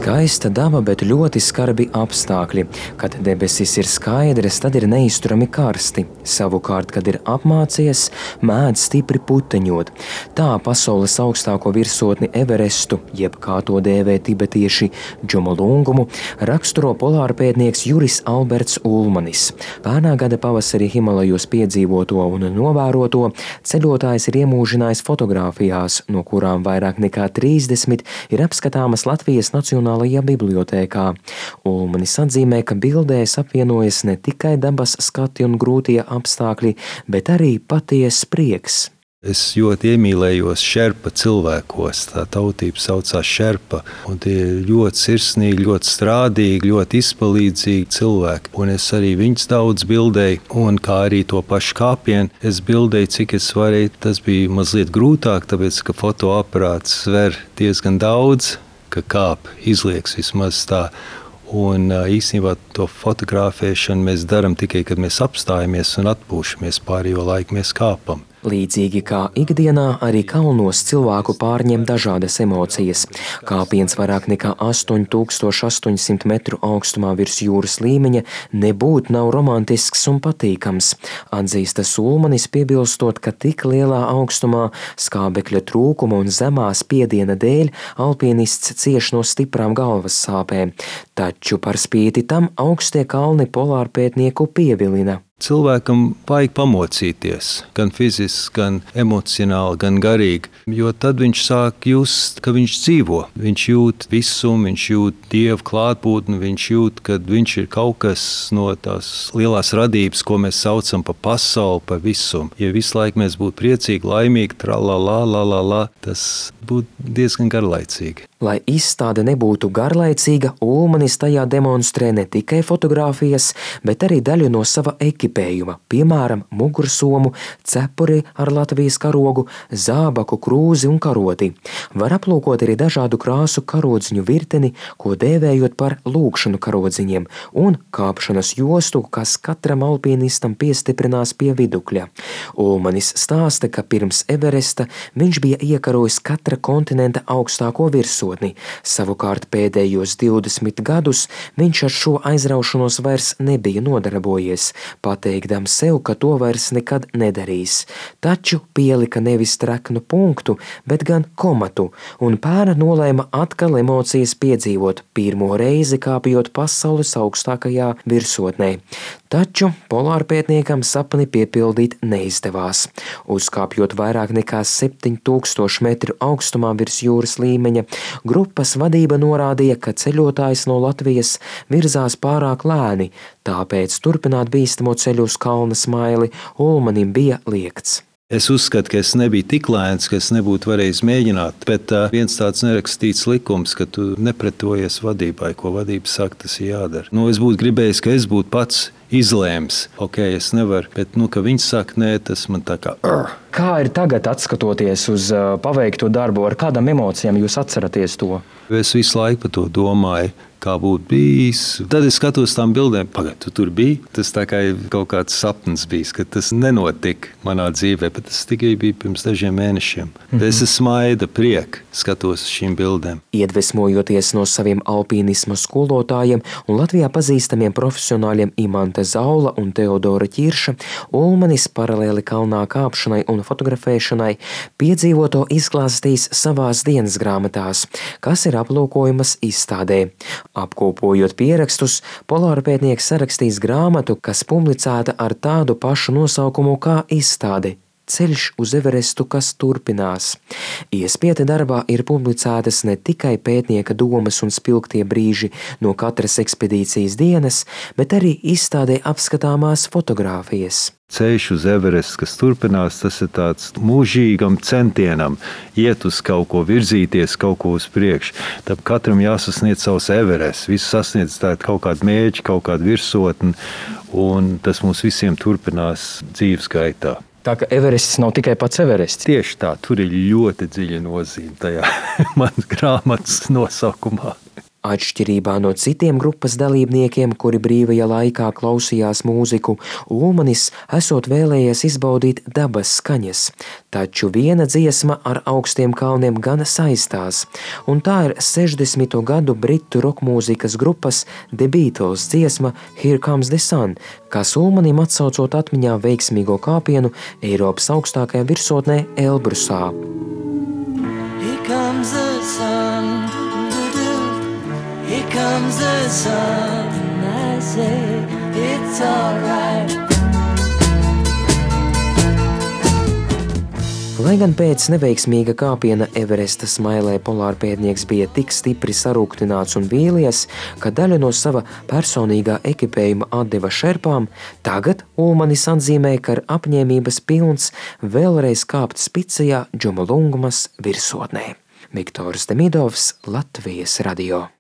Skaista daba, bet ļoti skarbi apstākļi. Kad debesis ir skaidras, tad ir neizturami karsti. Savukārt, kad ir apmācies, mēdz stipri puteņot. Tā pasaules augstāko virsotni Everestu, jeb kā to dēvē tibetieši Džomolungumu, raksturo polārpētnieks Juris Alberts Ulmanis. Pērnā gada pavasarī Himalajos piedzīvoto un novēroto ceļotājs ir iemūžinājis fotogrāfijās, no kurām vairāk nekā 30 ir apskatāmas Latvijas Nacionālajā bibliotēkā. Ulmanis atzīmē, ka bildēs apvienojas ne tikai dabas skati un grūtie apstākļi, bet arī patiess prieks. Es ļoti iemīlējos šerpa cilvēkos. Tā tautība saucās šerpa. Un tie ir ļoti sirsnīgi, ļoti strādīgi, ļoti izpalīdzīgi cilvēki. Un es arī viņus daudz bildēju, un kā arī to pašu kāpienu es bildēju, cik es varēju. Tas bija mazliet grūtāk, tāpēc, ka fotoaparāts sver diezgan daudz, ka kāp izlieks vismaz tā. Un īstenībā to fotografēšanu mēs darām tikai, kad mēs apstājamies un atpūšamies, pārējo laiku mēs kāpam. Līdzīgi kā ikdienā, arī kalnos cilvēku pārņem dažādas emocijas. Kāpiens vairāk nekā 8800 metru augstumā virs jūras līmeņa nebūtu nav romantisks un patīkams. Atzīstas Ulmanis, piebilstot, ka tik lielā augstumā skābekļa trūkuma un zemā spiediena dēļ alpinists cieš no stiprām galvas sāpēm. Taču par spīti tam augstie kalni polārpētnieku pievilina. Cilvēkam vajag pamocīties, gan fiziski, gan emocionāli, gan garīgi, jo tad viņš sāk just, ka viņš dzīvo. Viņš jūt visumu, viņš jūt Dievu klātbūtni, viņš jūt, ka viņš ir kaut kas no tās lielās radības, ko mēs saucam pa pasauli, pa visumu. Ja visu laiku mēs būtu priecīgi, laimīgi, tralalā, tas būtu diezgan garlaicīgi. Lai izstāde nebūtu garlaicīga, Ulmanis tajā demonstrē ne tikai fotogrāfijas, bet arī daļu no sava ekipējuma, piemēram, mugursomu, cepuri ar Latvijas karogu, zābaku, krūzi un karoti. Var aplūkot arī dažādu krāsu karodziņu virteni, ko dēvējot par lūkšanu karodziņiem, un kāpšanas jostu, kas katram alpinistam piestiprinās pie vidukļa. Ulmanis stāsta, ka pirms Everesta viņš bija iekarojis katra kontinenta augstāko virsotni. Savukārt pēdējos 20 gadus viņš ar šo aizraušanos vairs nebija nodarbojies, pateikdams sev, ka to vairs nekad nedarīs. Taču pielika nevis treknu punktu, bet gan komatu, un pērn nolēma atkal emocijas piedzīvot, pirmo reizi kāpjot pasaules augstākajā virsotnē. Taču polārpētniekam sapni piepildīt neizdevās. Uzkāpjot vairāk nekā 7000 metru augstumā virs jūras līmeņa, grupas vadība norādīja, ka ceļotājs no Latvijas virzās pārāk lēni, tāpēc turpināt bīstamo ceļu uz kalna smaili Ulmanim bija liegts. Es uzskatu, ka es nebiju tik lēns, ka es nebūtu varējis mēģināt, bet viens tāds nerakstīts likums, ka tu nepretojies vadībai, ko vadība saka, tas ir jādara. Es būtu gribējis, ka es būtu pats izlēms. Es nevaru, bet ka viņi saka, nē, tas man tā kā... Kā ir tagad, atskatoties uz paveikto darbu, ar kādām emocijām jūs atceraties to? Es visu laiku par to domāju, kā būtu bijis. Tad es skatos tām bildēm, tu tur biji. Tas tā kā kaut kāds sapnis bijis, ka tas nenotika manā dzīvē, bet tas tikai bija pirms dažiem mēnešiem. Es smaida prieka, skatos uz šīm bildēm. Iedvesmojoties no saviem alpīnisma skolotājiem un Latvijā pazīstamiem profesionāļiem Imante Zaula un Teodora Ķirša, Ulmanis paralēli kalnā kāpšanai un fotografēšanai piedzīvoto izklāstīs savās dienas grāmatās, kas ir aplūkojamas izstādē. Apkopojot pierakstus, polārpētnieks sarakstīs grāmatu, kas publicēta ar tādu pašu nosaukumu kā izstāde – Ceļš uz Everestu, kas turpinās. Iespiete darbā ir publicētas ne tikai pētnieka domas un spilgtie brīži no katras ekspedīcijas dienas, bet arī izstādē apskatāmās fotogrāfijas. Ceļš uz Everestu, kas turpinās, tas ir tāds mūžīgam centienam iet uz kaut ko, virzīties kaut ko uz priekšu. Tad katram jāsasniedz savs Everests, visu sasniedz kaut kādu mērķi, kaut kādu virsotni, un tas mums visiem turpinās dzīves gaitā. Tā ka Everests nav tikai pats Everests. Tieši tā, tur ir ļoti dziļa nozīme tajā manas grāmatas nosaukumā. Atšķirībā no citiem grupas dalībniekiem, kuri brīvajā laikā klausījās mūziku, Ulmanis esot vēlējies izbaudīt dabas skaņas, taču viena dziesma ar augstiem kalniem gan saistās, un tā ir 60. gadu britu rokmūzikas grupas The Beatles dziesma Here Comes the Sun, kas Ulmanim atsaucot atmiņā veiksmīgo kāpienu Eiropas augstākajā virsotnē Elbrusā. Here comes the sun, here comes the sun, I say it's alright. Lai gan pēc neveiksmīga kāpiena Everesta smailē polārpētnieks bija tik stipri sarūktināts un vīlies, ka daļu no sava personīgā ekipējuma atdeva šerpām, tagad Ulmanis atzīmē, ka ir apņēmības pilns vēlreiz kāpt spicajā Džomolungmas virsotnē. Viktors Demidovs, Latvijas radio.